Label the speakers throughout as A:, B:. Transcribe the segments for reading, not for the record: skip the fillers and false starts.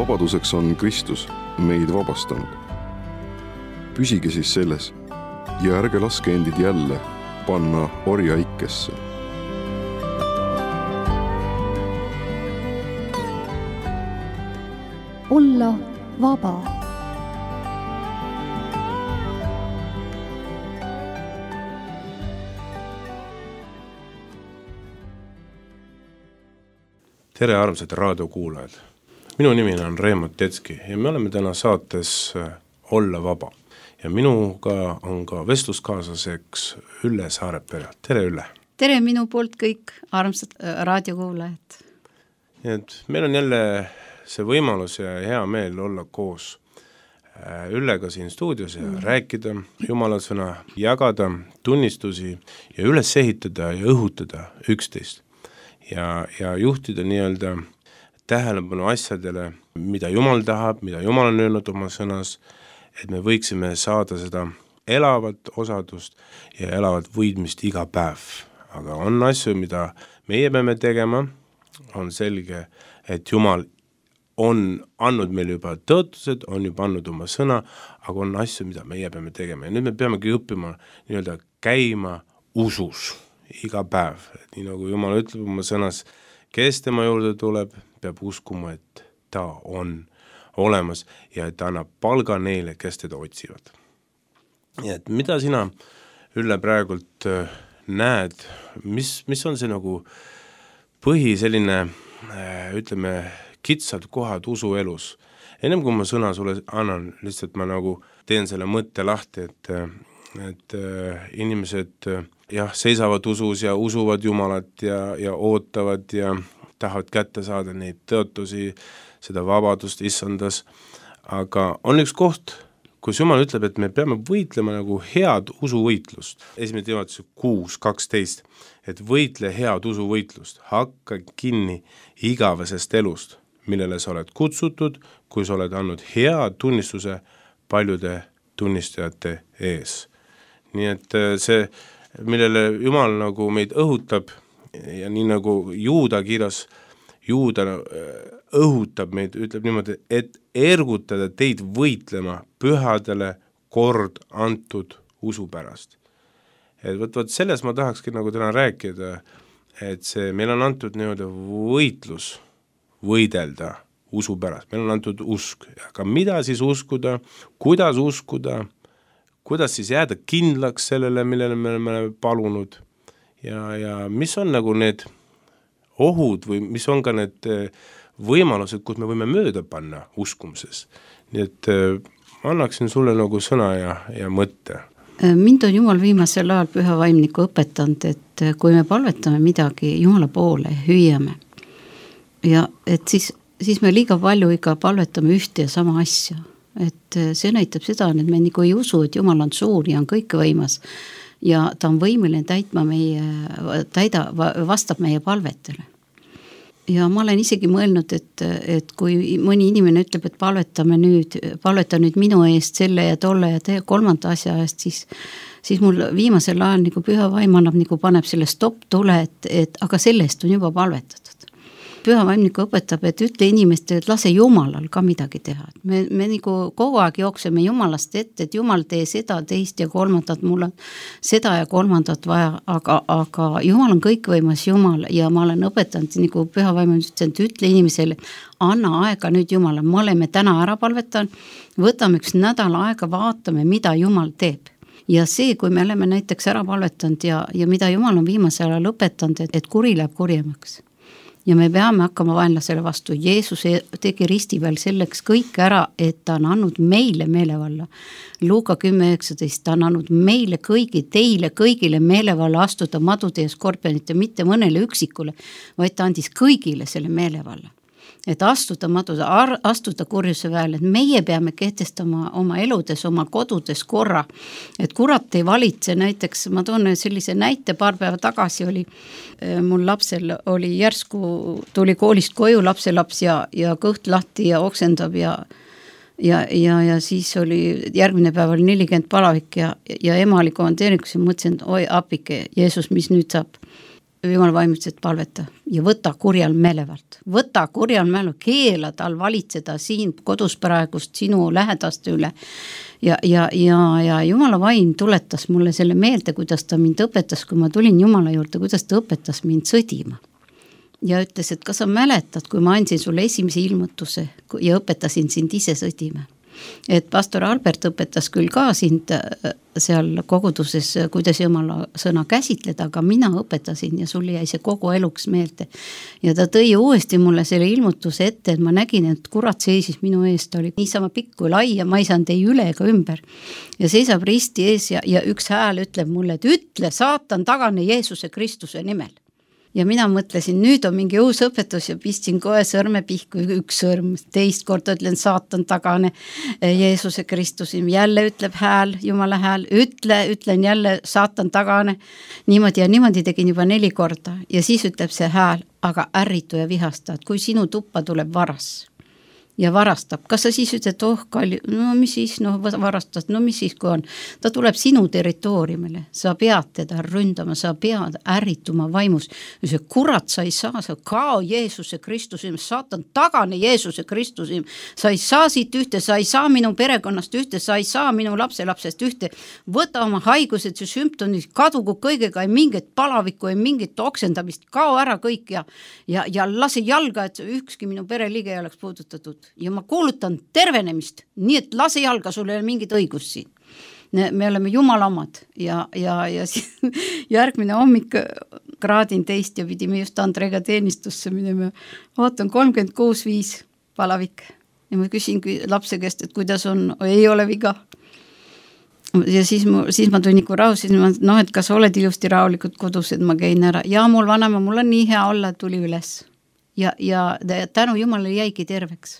A: vabaduseks on Kristus meid vabastanud. Püsige siis selles ja ärge laske endid jälle panna orjaikesse.
B: Olla vaba.
C: Tere armsad raadiokuulajad. Minu nimi on Reemo Tetski ja me oleme täna saates Olla vaba. Ja minuga on ka vestluskaaslaseks Ülle Saarepere. Tere Ülle.
D: Tere minu poolt kõik armsad raadiokuulajad.
C: Meil on jälle see võimalus ja hea meel olla koos Üllega siin stuudios ja rääkida Jumala sõna, jagada tunnistusi ja üles ehitada ja õhutada üksteist. Ja juhtida nii-öelda tähelepanu asjadele, mida Jumal tahab, mida Jumal on öelnud oma sõnas, et me võiksime saada seda elavat osadust ja elavat võidmist iga päev. Aga on asju, mida meie peame tegema, on selge, et Jumal on andnud meil juba tõotused, on juba andnud oma sõna, aga on asju, mida meie peame tegema. Ja nüüd me peamegi õppima nii-öelda käima usus iga päev. Nii nagu Jumal ütleb oma sõnas, kes tema juurde tuleb, peab uskuma, et ta on olemas ja et ta annab palga neile, kes teda otsivad. Ja et mida sina, Ülle, praegult näed, mis on see nagu põhi selline, ütleme, kitsad kohad usu elus? Ennem kui ma sõna sulle annan, lihtsalt ma nagu teen selle mõtte lahti, et inimesed seisavad usus ja usuvad Jumalat ja ootavad ja tahavad kätte saada neid tõotusi, seda vabadust issandas. Aga on üks koht, kus Jumal ütleb, et me peame võitlema nagu head usuvõitlust. 1. Timoteuse 6:12, et võitle head usuvõitlust, hakka kinni igavesest elust, millele sa oled kutsutud, kui sa oled andnud hea tunnistuse paljude tunnistajate ees. Nii et see, millele Jumal nagu meid õhutab ja nii nagu Juuda kirjas, Juuda õhutab meid, ütleb niimoodi, et ergutada teid võitlema pühadele kord antud usu pärast. Et võt selles ma tahakski nagu täna rääkida, et see, meil on antud nii-öelda võitlus võidelda usu pärast. Meil on antud usk. Aga mida siis uskuda, kuidas siis jääda kindlaks sellele, millele me oleme palunud ja mis on nagu need ohud või mis on ka need võimalused, kus me võime mööda panna uskumises. Nii et ma annaksin sulle nagu sõna ja mõtte.
D: Mind on Jumal viimasel ajal püha vaimniku õpetanud, et kui me palvetame midagi Jumala poole, hüüame ja et siis me liiga palju ikka palvetame ühte ja sama asja. Et see näitab seda, et me nagu ei usu, et Jumal on suur ja on kõikvõimas ja ta on võimeline vastab meie palvetele. Ja ma olen isegi mõelnud, et kui mõni inimene ütleb, et palveta nüüd minu eest selle ja tolle ja kolmanda asja eest, siis mul viimasel ajal nagu püha vaim annab, nagu paneb selle stopp tule, et aga sellest on juba palvetatud. Püha vaimniku õpetab, et ütle inimestele, et lase Jumalal ka midagi teha. Me nagu kogu aeg jookseme Jumalast ette, et Jumal tee seda, teist ja kolmandat, mul on seda ja kolmandat vaja, aga Jumal on kõikvõimas Jumal ja ma olen õpetanud, nagu püha vaimniku ütlesin, et ütle inimesele, anna aega nüüd Jumalale, me oleme täna ära palvetanud, võtame üks nädal aega, vaatame, mida Jumal teeb. Ja see, kui me oleme näiteks ära palvetanud ja mida Jumal on viimasel ajal õpetanud, et kuri läheb kurjemaks. Ja me peame hakkama vaenlasele vastu. Jeesus tegi risti peal selleks kõik ära, et ta on andnud meile meelevalla. Luuka 10:19, ta on andnud meile teile kõigile meelevalla astuda madude ja skorpionite, mitte mõnele üksikule, vaid ta andis kõigile selle meelevalla. Et astuda kurjuse väel, et meie peame kehtestama oma eludes, oma kodudes korra, et kurat ei valitse. Näiteks ma toon sellise näite, paar päeva tagasi oli mul lapsel oli järsku, tuli koolist koju lapselaps ja kõht lahti ja oksendab ja siis oli järgmine päev oli 40 palavik ja ema oli komandeeringus ja mõtlesin, et oi apike, Jeesus, mis nüüd saab. Jumal vaimutas, et palveta ja võta kurjal meelevalt, keela tal valitseda siin kodus praegust sinu lähedaste üle ja Jumala vaim tuletas mulle selle meelde, kuidas ta mind õpetas, kui ma tulin Jumala juurde, kuidas ta õpetas mind sõdima ja ütles, et kas sa mäletad, kui ma andsin sulle esimese ilmutuse ja õpetasin sind ise sõdima. Et pastor Albert õpetas küll ka sind seal koguduses, kuidas Jumala sõna käsitleda, aga mina õpetasin ja sul jäi see kogu eluks meelde. Ja ta tõi uuesti mulle selle ilmutuse ette, et ma nägin, et kurat seisis minu ees, ta oli niisama pikk kui lai ja ma ei saanud ei üle ega ümber. Ja seisab risti ees ja üks hääl ütleb mulle, et ütle saatan tagane Jeesuse Kristuse nimel. Ja mina mõtlesin, nüüd on mingi uus õpetus ja pistsin kohe sõrme pihku, üks sõrm, teist korda ütlen saatan tagane Jeesuse Kristuse, jälle ütleb hääl, Jumala hääl, ütlen jälle saatan tagane, niimoodi tegin juba 4 korda ja siis ütleb see hääl, aga ärritu ja vihasta, et kui sinu tuppa tuleb varas ja varastab, kas sa siis ütled, kalli, no mis siis, varastad, no mis siis, kui on, ta tuleb sinu territooriumile, sa pead teda ründama, sa pead ärrituma vaimus, ja see kurat, sa ei saa, sa kao Jeesuse Kristuse, saatan tagane Jeesuse Kristuse, sa ei saa siit ühte, sa ei saa minu perekonnast ühte, sa ei saa minu lapselapsest ühte, võta oma haigused, see sümptomid, kadugu kõigega, ei mingit palavikku, ei mingit oksendamist, kao ära kõik ja lase jalga, et ükski minu pereliige ei oleks puudutatud. Ja ma kuulutan tervenemist, nii et lase jalga, sul ei ole mingit õigust siin. Me oleme Jumala omad ja järgmine hommik kraadin teist ja pidime just Andreega teenistusse minema. Vaatan 36.5 palavik ja ma küsin lapse käest, et kuidas on, ei ole viga. Ja siis ma tulin nagu rahu, siis ma, et kas oled ilusti rahulikud kodus, et ma käin ära. Ja mul vanema, mul on nii hea olla, tuli üles ja tänu Jumalale jäigi terveks.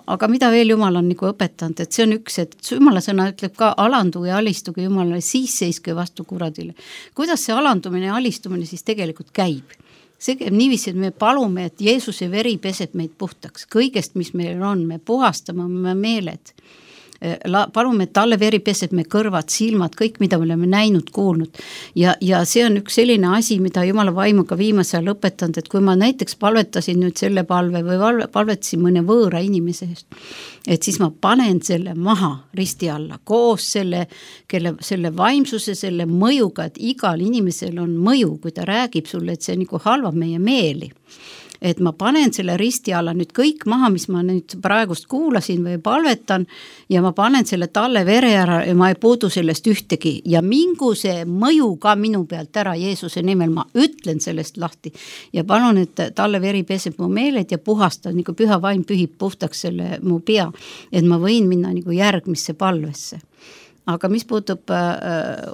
D: Aga mida veel Jumal on nagu õpetanud, et see on üks, et Jumala sõna ütleb ka alanduge ja alistuge Jumalale, siis seiske vastu kuradile. Kuidas see alandumine ja alistumine siis tegelikult käib? See käib niiviisi, et me palume, et Jeesuse veri peseb meid puhtaks. Kõigest, mis meil on, me puhastame oma meeled. Palume, et talle veri peseb me kõrvad, silmad, kõik, mida me oleme näinud, kuulnud. Ja see on üks selline asi, mida Jumala vaimuga viimasel õpetanud, et kui ma näiteks palvetasin nüüd selle palve või palvetasin mõne võõra inimese eest, et siis ma panen selle maha risti alla koos selle vaimsuse, selle mõjuga, et igal inimesel on mõju, kui ta räägib sulle, et see nagu halvab meie meeli. Et ma panen selle risti alla nüüd kõik maha, mis ma nüüd praegust kuulasin või palvetan ja ma panen selle talle vere ära ja ma ei puudu sellest ühtegi ja mingu see mõju ka minu pealt ära Jeesuse nimel, ma ütlen sellest lahti ja palun, et talle veri peseb mu meeled ja puhastab, nagu püha vaim pühib puhtaks selle mu pea, et ma võin minna nagu järgmisse palvesse. Aga mis puutub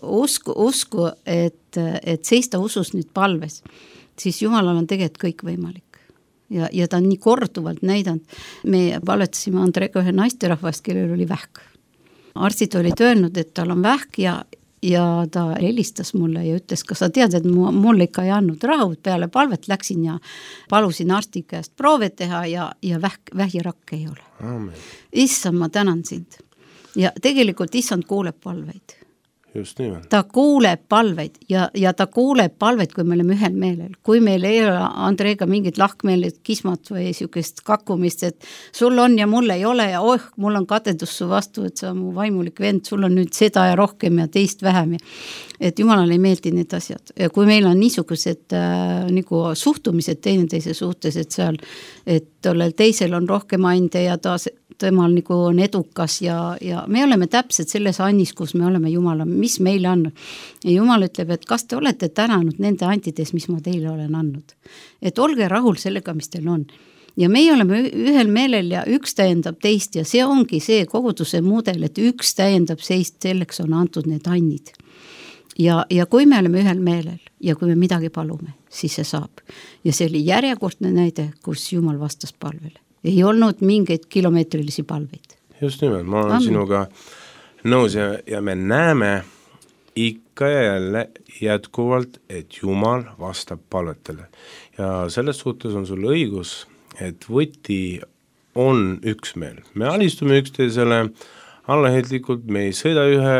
D: usku, et seista usus nüüd palves, siis Jumalal on tegelikult kõik võimalik. Ja ta on nii korduvalt näidanud. Me palvetasime Andreega ühe naisterahvast, kellel oli vähk. Arstid olid öelnud, et tal on vähk ja ta helistas mulle ja ütles, kas sa tead, et mulle ikka ei andnud rahu, peale palvet läksin ja palusin arsti käest proove teha ja vähirakk ei ole.
C: Amen.
D: Issand, ma tänan sind. Ja tegelikult issand kuuleb palveid.
C: Just nimelt.
D: Ta kuuleb palveid ja ta kuuleb palveid, kui me oleme ühel meelel. Kui meil ei ole Andreega mingit lahkmeelid, kismat või sükest kakkumist, et sul on ja mul ei ole ja mul on kadedus su vastu, et sa mu vaimulik vend, sul on nüüd seda ja rohkem ja teist vähem. Et Jumalale ei meeldi need asjad. Ja kui meil on niisugused nagu suhtumised teineteise suhtes, et seal, et tollel teisel on rohkem ande ja temal nagu on edukas ja me oleme täpselt selles annis, kus me oleme Jumala, mis meile andnud. Ja Jumal ütleb, et kas te olete tänanud nende antides, mis ma teile olen andnud. Et olge rahul sellega, mis teil on. Ja meie oleme ühel meelel ja üks täiendab teist ja see ongi see koguduse mudel, et üks täiendab seist, selleks on antud need annid. Ja kui me oleme ühel meelel ja kui me midagi palume, siis see saab. Ja see oli järjekordne näide, kus Jumal vastas palvele. Ei olnud mingeid kilomeetrilisi palveid.
C: Just nimelt, ma olen sinuga nõus ja me näeme ikka ja jälle jätkuvalt, et Jumal vastab palvetele. Ja selles suhtes on sul õigus, et võti on üksmeel. Me alistume üksteisele allaheitlikult, me ei sõida ühe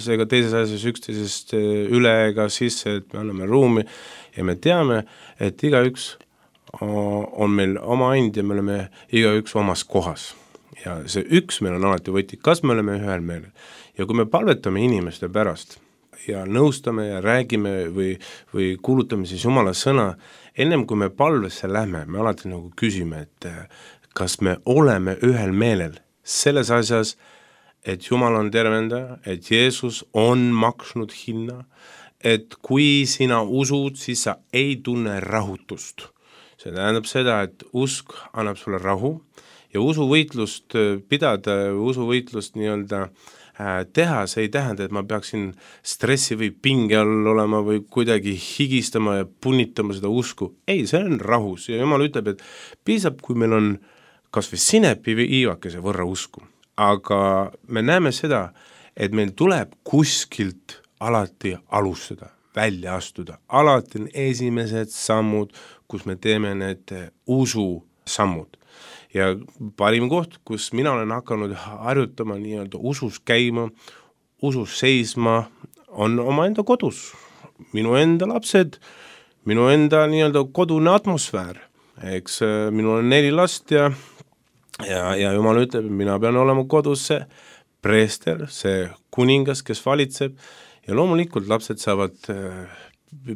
C: seega teises asjas üksteisest üle ega sisse, et me anname ruumi ja me teame, et igaüks on meil oma and ja me oleme igaüks omas kohas. Ja see üks meil on alati võti, kas me oleme ühel meelel. Ja kui me palvetame inimeste pärast ja nõustame ja räägime või kuulutame siis Jumala sõna, ennem kui me palvesse lähme, me alati nagu küsime, et kas me oleme ühel meelel selles asjas, et Jumal on tervendaja, et Jeesus on maksnud hinna, et kui sina usud, siis sa ei tunne rahutust. See tähendab seda, et usk annab sulle rahu ja usuvõitlust pidada, usuvõitlust nii-öelda teha, see ei tähenda, et ma peaksin stressi või pinge all olema või kuidagi higistama ja punnitama seda usku. Ei, see on rahus ja Jumal ütleb, et piisab, kui meil on kas või sinepi või iivakese võrra usku. Aga me näeme seda, et meil tuleb kuskilt alati alustada, välja astuda. Alati on esimesed sammud, kus me teeme need usu sammud. Ja parim koht, kus mina olen hakanud harjutama nii-öelda usus käima, usus seisma, on oma enda kodus. Minu enda lapsed, minu enda nii-öelda kodune atmosfäär. Eks minul on 4 last ja Jumal ütleb, mina pean olema kodus see preester, see kuningas, kes valitseb ja loomulikult lapsed saavad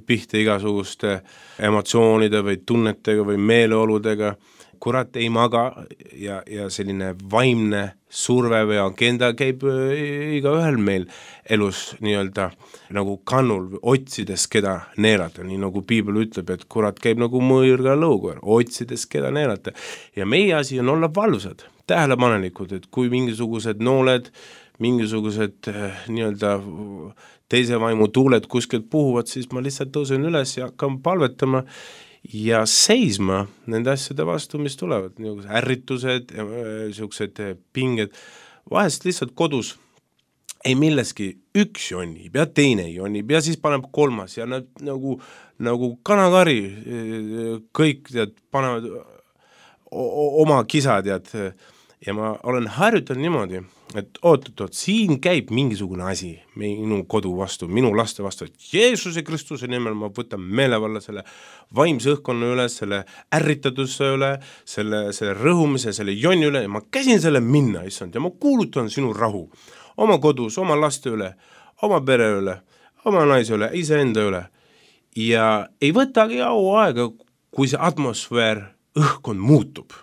C: pihta igasuguste emotsioonide või tunnetega või meeleoludega. Kurat ei maga ja selline vaimne surve või agenda käib igaühel meil elus nii-öelda nagu kannul, otsides keda neelata, nii nagu Piibel ütleb, et kurat käib nagu mõõrga lõukoer, otsides keda neelata. Ja meie asi on olla valvsad, tähelepanelikud, et kui mingisugused nooled, mingisugused nii-öelda teise vaimu tuuled kuskilt puhuvad, siis ma lihtsalt tõusen üles ja hakkan palvetama ja seisma nende asjade vastu, mis tulevad, ärritused, sellised pinged, vahest lihtsalt kodus ei milleski üks jonnib ja teine jonnib ja siis paneb 3 ja nad nagu kanakari kõik panevad oma kisad ja ma olen harjutanud niimoodi, et oot, siin käib mingisugune asi minu kodu vastu, minu laste vastu, et Jeesuse Kristuse nimel ma võtan meelevalla selle vaimse õhkkonna üle, selle ärritatuse üle, selle rõhumise, selle jonni üle ja ma käsin selle minna, issand, ja ma kuulutan sinu rahu oma kodus, oma laste üle, oma pere üle, oma naise üle, iseenda üle ja ei võtagi aega, kui see atmosfäär, õhkkond muutub.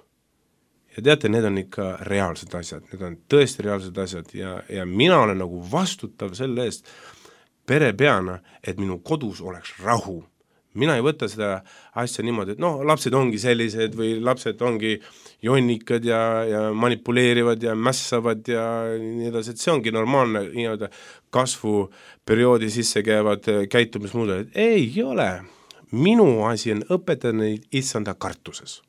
C: Ja teate, need on ikka reaalsed asjad, need on tõesti reaalsed asjad ja mina olen nagu vastutav selle eest perepeana, et minu kodus oleks rahu. Mina ei võta seda asja niimoodi, et lapsed ongi sellised või lapsed ongi jonnikad ja manipuleerivad ja mässavad ja nii edasi, et see ongi normaalne nii-öelda kasvuperioodi sisse käivad käitumismuuded. Ei ole. Minu asi on õpetada neid issanda kartuses.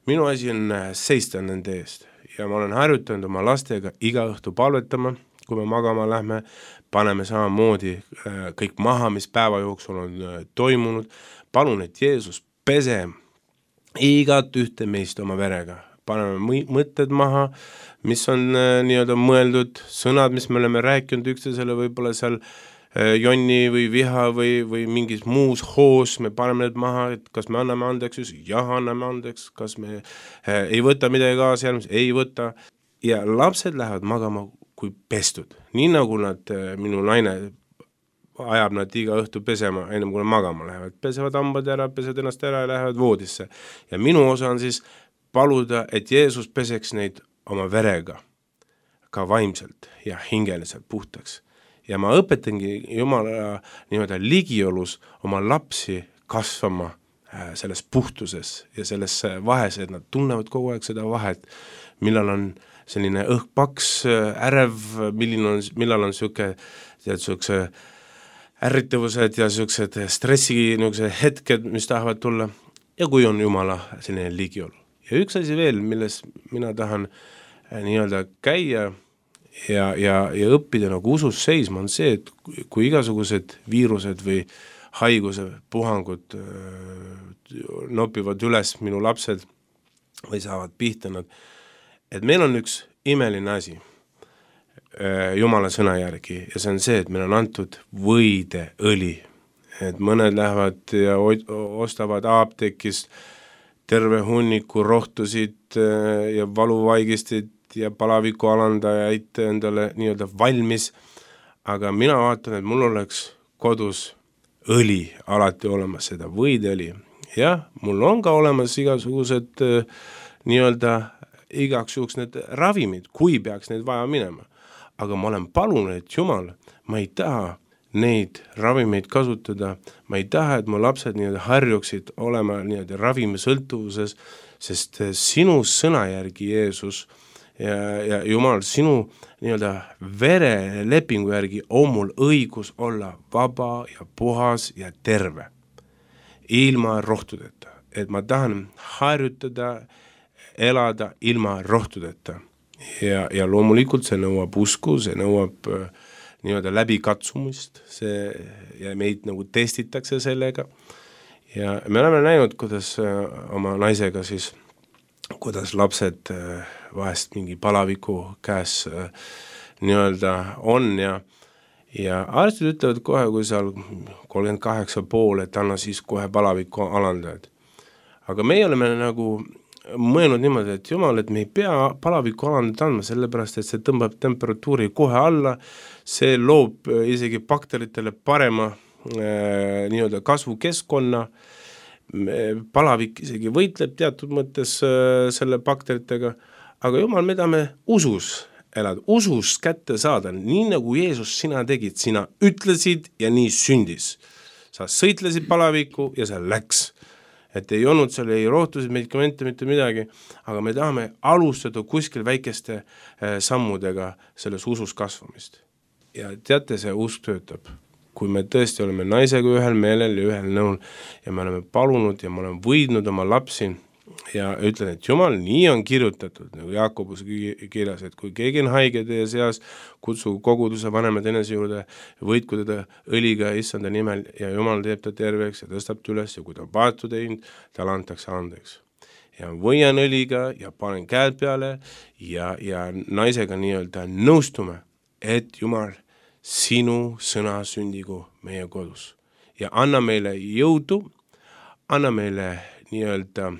C: Minu asi on seista nende eest ja ma olen harjutanud oma lastega iga õhtu palvetama, kui me magama lähme, paneme samamoodi kõik maha, mis päeva jooksul on toimunud. Palun, et Jeesus pese igat ühte meist oma verega. Paneme mõtted maha, mis on nii-öelda mõeldud, sõnad, mis me oleme rääkinud üksteisele, võib-olla seal jonni või viha või mingis muus hoos, me paneme need maha, et kas me anname andeks, jah, anname andeks, kas me ei võta midagi kaasa järgmis, ei võta. Ja lapsed lähevad magama kui pestud. Nii nagu minu naine ajab nad iga õhtu pesema, ennem kui nad magama lähevad. Pesevad hambad ära, pesevad ennast ära ja lähevad voodisse. Ja minu osa on siis paluda, et Jeesus peseks neid oma verega, ka vaimselt ja hingeliselt puhtaks. Ja ma õpetangi Jumala niimoodi ligiolus oma lapsi kasvama selles puhtuses ja selles vahes, et nad tunnevad kogu aeg seda vahet, millal on selline õhkpaks, ärev, millal on siuke ärritavused ja siuksed stressi hetked, mis tahavad tulla ja kui on Jumala selline ligiolu. Ja üks asi veel, milles mina tahan nii-öelda käia ja õppida nagu usus seisma on see, et kui igasugused viirused või haiguse puhangud nopivad üles minu lapsed või saavad pihta nad, et meil on üks imeline asi. Jumala sõna järgi ja see on see, et meil on antud võideõli. Et mõned lähevad ja ostavad apteekist terve hunniku rohtusid ja valuvaigistit ja palaviku alandajaid endale nii-öelda valmis, aga mina vaatan, et mul oleks kodus õli alati olemas, seda võideõli. Jah, mul on ka olemas igasugused nii-öelda igaks juhuks need ravimid, kui peaks neid vaja minema. Aga ma olen palunud, et Jumal, ma ei taha neid ravimeid kasutada, ma ei taha, et mu lapsed nii-öelda harjuksid olema nii-öelda ravimisõltuvuses, sest sinu sõna järgi, Jeesus, ja Jumal, sinu nii-öelda verelepingu järgi on mul õigus olla vaba ja puhas ja terve, ilma rohtudeta. Et ma tahan harjutada, elada ilma rohtudeta. Ja loomulikult see nõuab usku, see nõuab nii-öelda läbikatsumist, ja meid nagu testitakse sellega. Ja me oleme näinud, kuidas oma naisega siis, kuidas lapsed vahest mingi palaviku käes nii-öelda on ja arstid ütlevad kohe, kui seal 38,5, et anna siis kohe palaviku alandajad. Aga meie oleme nagu mõelnud niimoodi, et Jumal, et me ei pea palaviku alandajad andma, sellepärast, et see tõmbab temperatuuri kohe alla, see loob isegi bakteritele parema nii-öelda kasvukeskkonna, palavik isegi võitleb teatud mõttes selle bakteritega, aga Jumal, me tahame usus elada, usus kätte saada, nii nagu Jeesus sina tegid, sina ütlesid ja nii sündis. Sa sõitlesid palaviku ja see läks. Et ei olnud seal ei rohtusid, medikamente, mitte midagi, aga me tahame alustada kuskil väikeste sammudega selles usus kasvamist. Ja teate, see usk töötab. Kui me tõesti oleme naisega ühel meelel ja ühel nõul ja me oleme palunud ja me oleme võidnud oma lapsi ja ütlen, et Jumal, nii on kirjutatud, nagu Jaakobus kirjas, et kui keegi on haige teie seas, kutsu koguduse vanemad enese juurde, võitku teda õliga issanda nimel ja Jumal teeb ta terveks ja tõstab ta üles ja kui ta on paatu teinud, tal antakse andeks. Ja võian õliga ja panen käed peale ja naisega nii-öelda nõustume, et Jumal, sinu sõna sündigu meie kodus. Ja anna meile jõudu, anna meile nii-öelda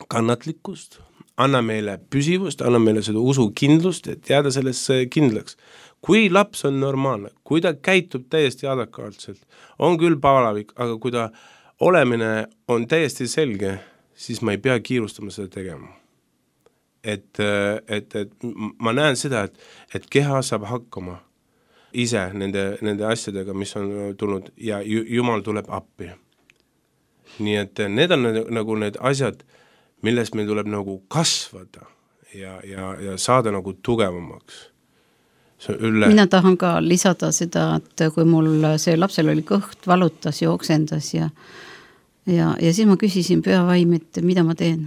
C: kannatlikkust, anna meile püsivust, anna meile seda usukindlust, et jääda sellesse kindlaks. Kui laps on normaalne, kui ta käitub täiesti adekvaatselt, on küll palavik, aga kui ta olemine on täiesti selge, siis ma ei pea kiirustama seda tegema. Et ma näen seda, et keha saab hakkama ise nende asjadega, mis on tulnud ja Jumal tuleb appi. Nii et need on nagu need asjad, millest meil tuleb nagu kasvada ja saada nagu tugevamaks.
D: Mina tahan ka lisada seda, et kui mul see lapsel oli kõht, valutas, jooksendas ja siis ma küsisin pühavaim, et mida ma teen.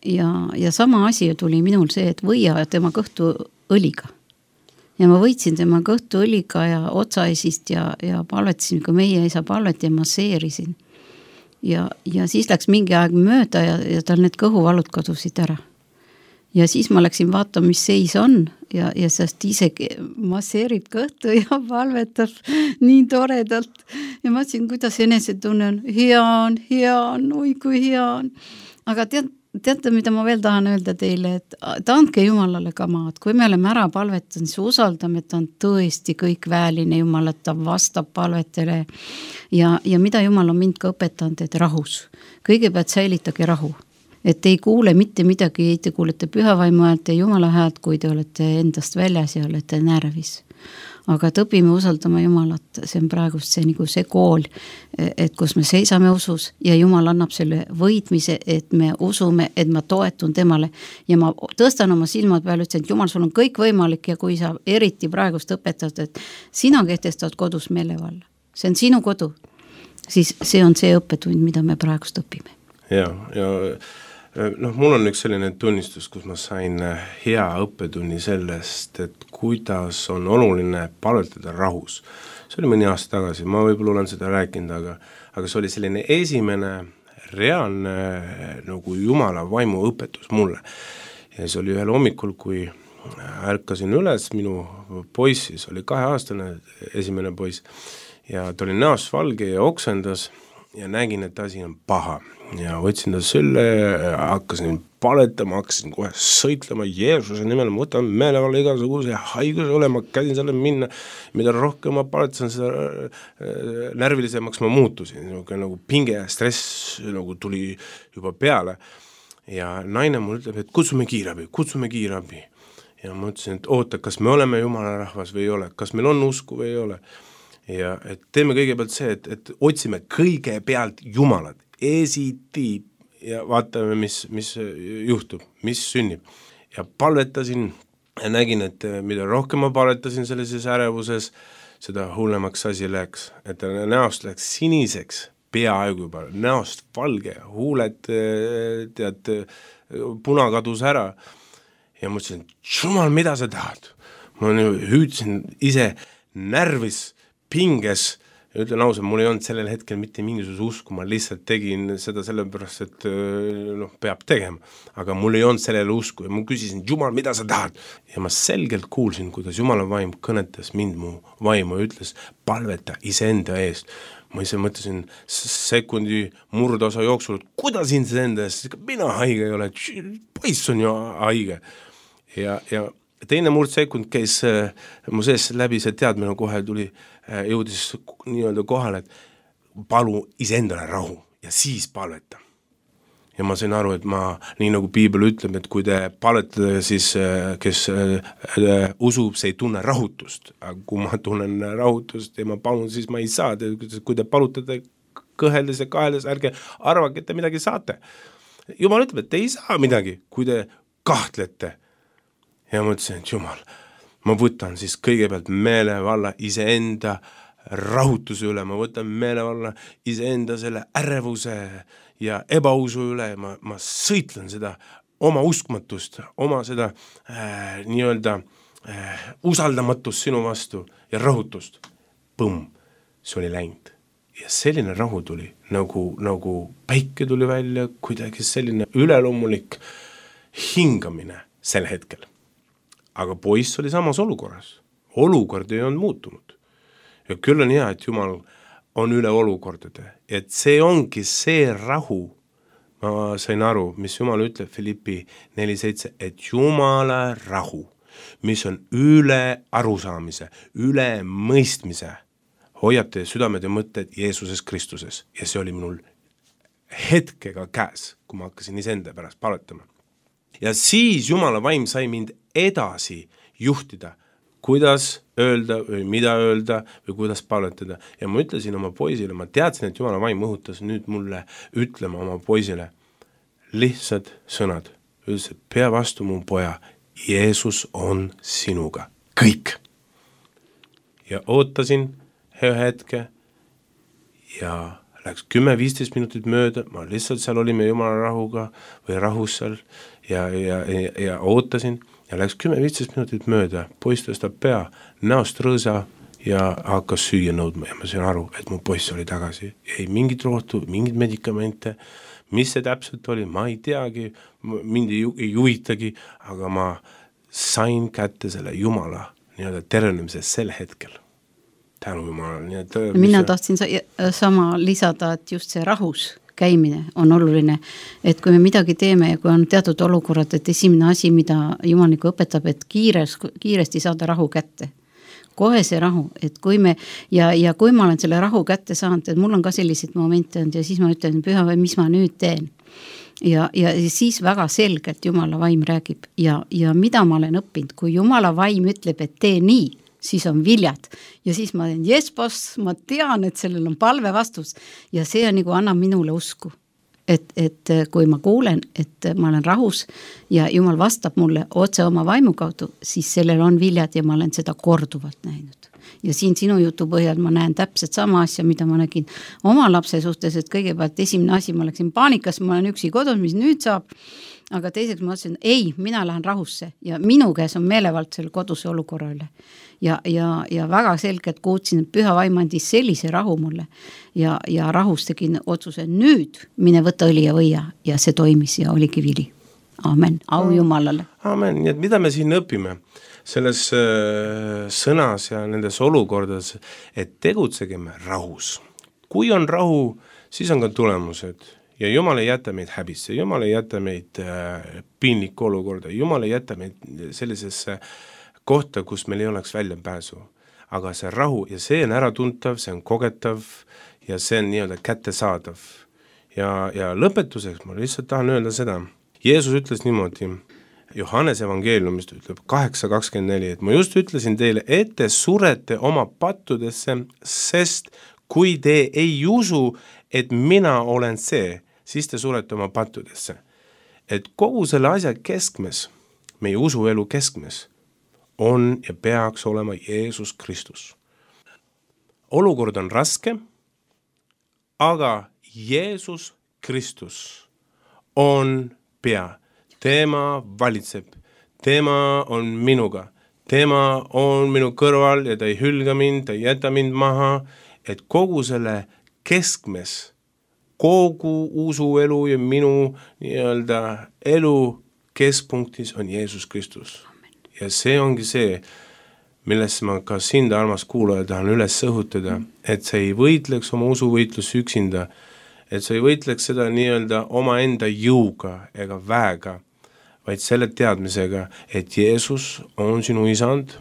D: Ja sama asi tuli minul see, et võia tema kõhtu õliga. Ja ma võitsin tema kõhtu õliga ja otsaisist ja palvetasin, kui meie isa palvet ja masseerisin. Ja siis läks mingi aeg mööda ja tal need kõhuvalud kadusid ära. Ja siis ma läksin vaatama, mis seis on ja sest isegi masseerib kõhtu ja palvetab nii toredalt. Ja ma ütlesin, kuidas enesetunne on, hea on, oi kui hea on. Aga teate, mida ma veel tahan öelda teile, et ta andke Jumalale ka maad. Kui me oleme ära palvetanud, siis usaldame, et ta on tõesti kõik väeline Jumal, et ta vastab palvetele. Ja mida Jumal on mind ka õpetanud, et rahus. Kõigepealt säilitage rahu. Et te ei kuule mitte midagi, te kuulete pühavaimu häält ja Jumala häält, kui te olete endast väljas ja olete närvis. Aga et õpime usaldama Jumalat, see on praegust see, nagu see kool, et kus me seisame usus ja Jumal annab selle võitmise, et me usume, et ma toetun temale ja ma tõstan oma silmad peale, ütlen, et Jumal, sul on kõik võimalik ja kui sa eriti praegust õpetad, et sina kehtestad kodus meelevalla, see on sinu kodu, siis see on see õppetund, mida me praegust õpime.
C: Ja mul on üks selline tunnistus, kus ma sain hea õppetunni sellest, et kuidas on oluline palvetada rahus. See oli mõni aasta tagasi, ma võib-olla olen seda rääkinud, aga see oli selline esimene reaalne nagu Jumala vaimu õpetus mulle. Ja see oli ühel hommikul, kui ärkasin üles, minu poiss siis oli 2-aastane, esimene poiss, ja ta oli näost valge ja oksendas ja nägin, et asi on paha. Ja võtsin ta sülle, hakkasin paletama, hakkasin kohe sõitlema Jeesuse nimel, ma võtan meelevalla igasuguse haiguse ole, ma käisin selle minna, mida rohkem ma paletasin, seda närvilisemaks ma muutusin, nagu pinge ja stress nagu tuli juba peale. Ja naine mul ütleb, et kutsume kiirabi. Ja ma ütlesin, et oota, kas me oleme Jumala rahvas või ei ole, kas meil on usku või ei ole. Ja et teeme kõigepealt see, et otsime kõigepealt Jumalat, esitiib ja vaatame, mis juhtub, mis sünnib. Ja palvetasin ja nägin, et mida rohkem ma palvetasin sellises ärevuses, seda hullemaks asi läks, et näost läks siniseks, peaaegu juba, näost valge, huuled tead, puna kadus ära. Ja ma ütlesin, Jumal, mida sa tahad? Ma hüüdsin ise närvis, pinges, ja ütlen ausalt, mul ei olnud sellel hetkel mitte mingisuguse usku, ma lihtsalt tegin seda sellepärast, et peab tegema. Aga mul ei olnud sellele usku ja ma küsisin, Jumal, mida sa tahad? Ja ma selgelt kuulsin, kuidas Jumala vaim kõnetas mind mu vaimu ja ütles, palveta iseenda eest. Ma ise mõtlesin sekundi murdosa jooksul, et kuidas iseenda eest, mina haige ei ole, poiss on ju haige. Ja teine murdsekund käis mu sees läbi, see teadmine kohe tuli, jõudis nii-öelda kohale, et palu iseendale rahu ja siis palveta. Ja ma sain aru, et ma, nii nagu Piibel ütleb, et kui te palvetate, siis kes usub, see ei tunne rahutust. Aga kui ma tunnen rahutust ja ma palun, siis ma ei saa. Kui te palutate kõheldes ja kaheldes, ärge arvake, et te midagi saate. Jumal ütleb, et te ei saa midagi, kui te kahtlete. Ja ma ütlesin, et Jumal, ma võtan siis kõigepealt meelevalla iseenda rahutuse üle, ma võtan meelevalla iseenda selle ärevuse ja ebausu üle, ma sõitlen seda oma uskmatust, oma seda nii-öelda usaldamatust sinu vastu ja rahutust. Põmm, see oli läinud. Ja selline rahu tuli, nagu päike tuli välja, kuidagi selline üleloomulik hingamine sel hetkel. Aga poiss oli samas olukorras. Olukord ei olnud muutunud. Ja küll on hea, et Jumal on üle olukordade. Et see ongi see rahu. Ma sain aru, mis Jumal ütleb Filippi 4.7, et Jumala rahu, mis on üle arusaamise, üle mõistmise, hoiab teie südamed ja mõtted Jeesuses Kristuses. Ja see oli minul hetkega käes, kui ma hakkasin iseenda pärast paletama. Ja siis Jumala vaim sai mind edasi juhtida, kuidas öelda või mida öelda või kuidas palvetada. Ja ma ütlesin oma poisile, ma teadsin, et Jumala vaim õhutas nüüd mulle ütlema oma poisile lihtsad sõnad. Ütles, et pea vastu mu poja, Jeesus on sinuga. Kõik. Ja ootasin ühe hetke ja läks 10-15 minutit mööda, ma lihtsalt seal olime Jumala rahuga või rahus seal ja ootasin ja läks 10-15 minutit mööda, poiss tõstab pea, näost rõõsa ja hakkas süüa nõudma ja ma sain aru, et mu poiss oli tagasi. Ei mingit rohtu, mingit medikamente, mis see täpselt oli, ma ei teagi, mind ei juhitagi, aga ma sain kätte selle Jumala nii-öelda tervenemise sel hetkel. Tänu Jumala.
D: Mina tahtsin sama lisada, et just see rahus käimine on oluline, et kui me midagi teeme ja kui on teatud olukorrad, et esimene asi, mida Jumal nagu õpetab, et kiiresti saada rahu kätte. Kohe see rahu, et kui me, ja kui ma olen selle rahu kätte saanud, et mul on ka sellised momente olnud ja siis ma ütlen, püha või mis ma nüüd teen. Ja siis väga selgelt Jumala vaim räägib ja mida ma olen õppinud, kui Jumala vaim ütleb, et tee nii, siis on viljad. Ja siis ma teen, yes boss, ma tean, et sellel on palve vastus. Ja see on nagu annab minule usku. Et kui ma kuulen, et ma olen rahus ja Jumal vastab mulle otse oma vaimu kaudu, siis sellel on viljad ja ma olen seda korduvalt näinud. Ja siin sinu jutu põhjal ma näen täpselt sama asja, mida ma nägin oma lapse suhtes, et kõigepealt esimene asi, ma läksin paanikas, ma olen üksi kodus, mis nüüd saab, aga teiseks ma ütlesin, ei, mina lähen rahusse ja minu käes on meelevald selle koduse olukorra üle. Ja väga selgelt kuutsin, et püha vaim andis sellise rahu mulle ja rahus tegin otsuse nüüd mine võtta õli ja võia ja see toimis ja oligi vili. Amen, au Jumalale.
C: Amen, nii et mida me siin õpime selles sõnas ja nendes olukordades, et tegutsegem rahus. Kui on rahu, siis on ka tulemused ja Jumal ei jäta meid häbisse, Jumal ei jäta meid piinlikku olukorda, Jumal ei jäta meid sellisesse kohta, kus meil ei oleks väljapääsu. Aga see rahu ja see on äratuntav, see on kogetav ja see on nii-öelda kättesaadav. Ja lõpetuseks ma lihtsalt tahan öelda seda. Jeesus ütles niimoodi, Johannes evangeeliumist ütleb 8.24, et ma just ütlesin teile, et te surete oma pattudesse, sest kui te ei usu, et mina olen see, siis te surete oma pattudesse. Et kogu selle asja keskmes, meie usuelu keskmes, on ja peaks olema Jeesus Kristus. Olukord on raske, aga Jeesus Kristus on pea. Tema valitseb, tema on minuga, tema on minu kõrval ja ta ei hülga mind, ta ei jäta mind maha, et kogu selle keskmes, kogu usuelu ja minu nii-öelda elu keskpunktis on Jeesus Kristus. Ja see ongi see, millest ma ka sind, armas kuulaja, tahan üles õhutada, et sa ei võitleks oma usuvõitlus üksinda, et sa ei võitleks seda nii-öelda oma enda jõuga ega väega, vaid selle teadmisega, et Jeesus on sinu isand,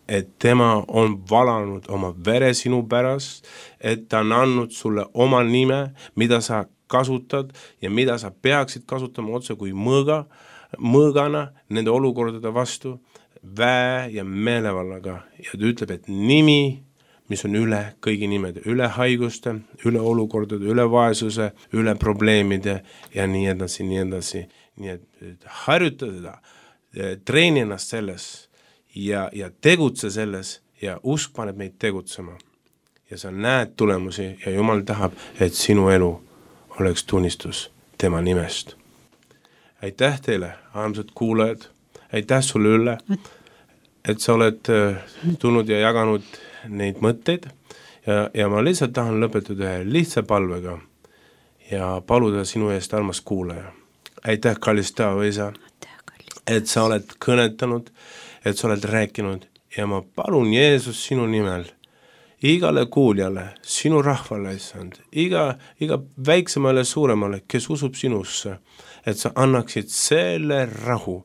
C: et tema on valanud oma vere sinu pärast, et ta on andnud sulle oma nime, mida sa kasutad ja mida sa peaksid kasutama otse kui mõõgana nende olukordade vastu, väe ja meelevallaga. Ja ta ütleb, et nimi, mis on üle kõigi nimede, üle haiguste, üle olukordade, üle vaesuse, üle probleemide ja nii edasi, nii edasi. Nii et harjuta seda, treeni ennast selles ja tegutse selles ja usk paneb meid tegutsema. Ja sa näed tulemusi ja Jumal tahab, et sinu elu oleks tunnistus tema nimest. Aitäh teile, armsad kuulajad, aitäh sulle Ülle, et sa oled tulnud ja jaganud neid mõtteid ja ma lihtsalt tahan lõpetada ühe lihtsa palvega ja paluda sinu eest, armas kuulaja. Aitäh, kallis Taava isa, et sa oled kõnetanud, et sa oled rääkinud ja ma palun Jeesus sinu nimel igale kuuljale, sinu rahvale, issand, iga väiksemale suuremale, kes usub sinusse, et sa annaksid selle rahu,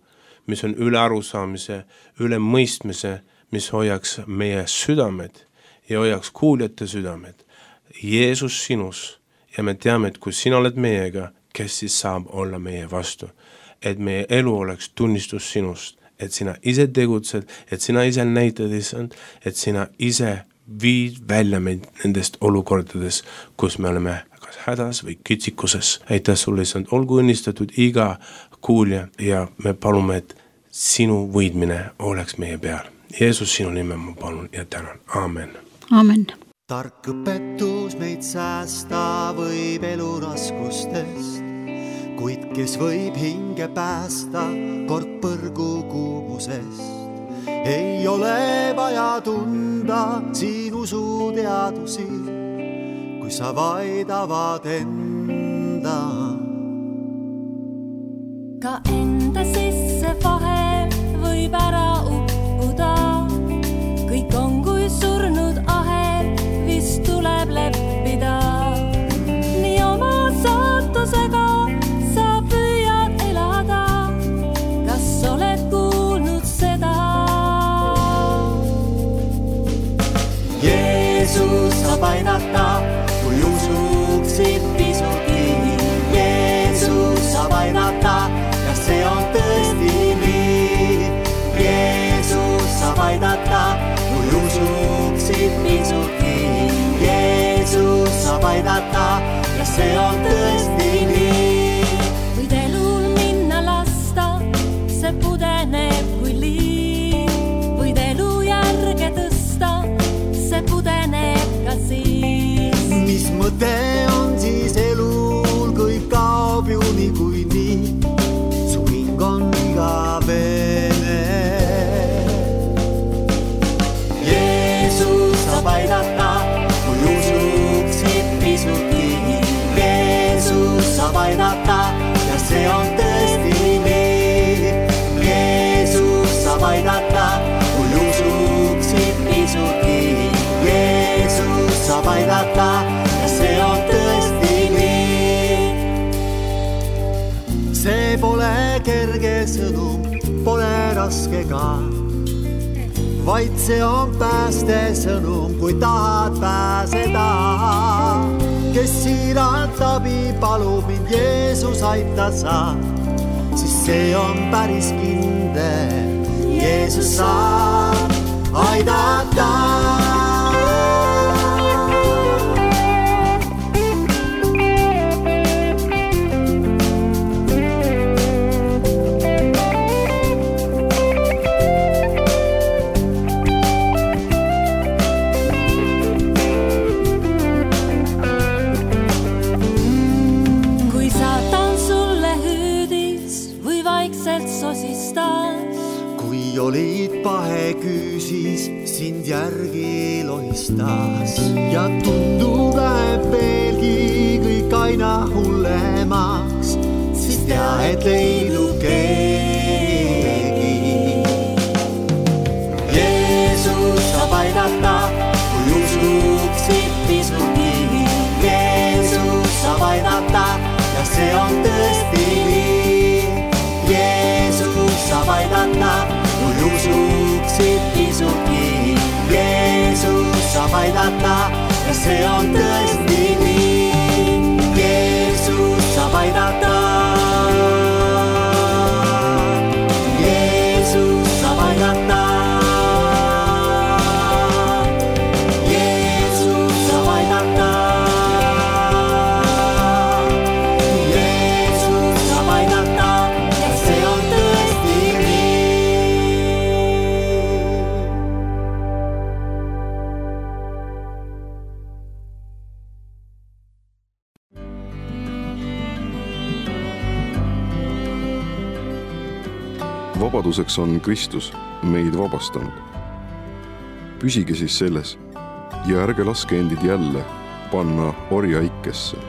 C: mis on üle arusaamise, üle mõistmise, mis hoiaks meie südamed ja hoiaks kuuljate südamed. Jeesus sinus ja me teame, et kui sina oled meiega, kes siis saab olla meie vastu, et meie elu oleks tunnistus sinust, et sina ise tegutsed, et sina ise näitad, issand, et sina ise viid välja meid nendest olukordades, kus me oleme kas hädas või kitsikuses. Aitäh sulle, issand, olgu õnnistatud iga kuulja ja me palume, et sinu võidmine oleks meie peal. Jeesus, sinu nime ma palun ja tänan. Amen.
D: Amen.
E: Tark õpetus meid säästa võib elu raskustest, kuid kes võib hinge päästa kord põrgu kuumusest. Ei ole vaja tunda siin usuteadusi, kui sa vaid avad enda.
F: Ka enda sisse vahel võib ära uppuda, kõik on kui surnud ahel, vist tuleb leppida. Nii oma saatusega sa püüad elada, kas oled kuulnud seda?
E: Jeesus saab aidata, kui usuksid pisutki. Jeesus saab aidata, ja see on tõesti nii. Jeesus saab aidata, kui usuksid pisutki. Jeesus saab aidata, ja see on tõesti nii.
F: Võid elul minna lasta, see pudeneb kui liin. Võid elu järge tõsta, see pudeneb ka siis.
E: Mis mõte on siis elul, kui kaob ju niikuinii? Su hing on igavene. Jeesus saab aidata, kui usuksid pisutki. Jeesus sõnum pole raske ka, vaid see on pääste sõnum, kui tahad pääseda. Kes siiralt abi palub mind Jeesus aita saab, siis see on päris kindel. Jeesus saab aidata. Olid pahe küüsis, sind järgi lohistas ja tundub läheb veelgi kõik aina hullemaks, siis tea, et leidub keegi. Jeesus saab aidata, kui usuksid pisutki. Jeesus saab aidata ja see on tõesti nii. Jeesus saab aidata, kui usuksid pisutki. Jeesus saab aidata ja see on tõesti nii. Jeesus saab aidata. Jeesus saab aidata. Jeesus saab aidata. Jeesus saab aidata ja see on tõesti nii.
A: Vabaduseks on Kristus meid vabastanud. Püsige siis selles ja ärge laske endid jälle panna orjaikesse.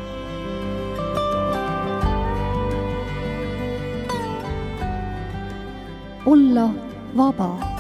B: Olla vaba.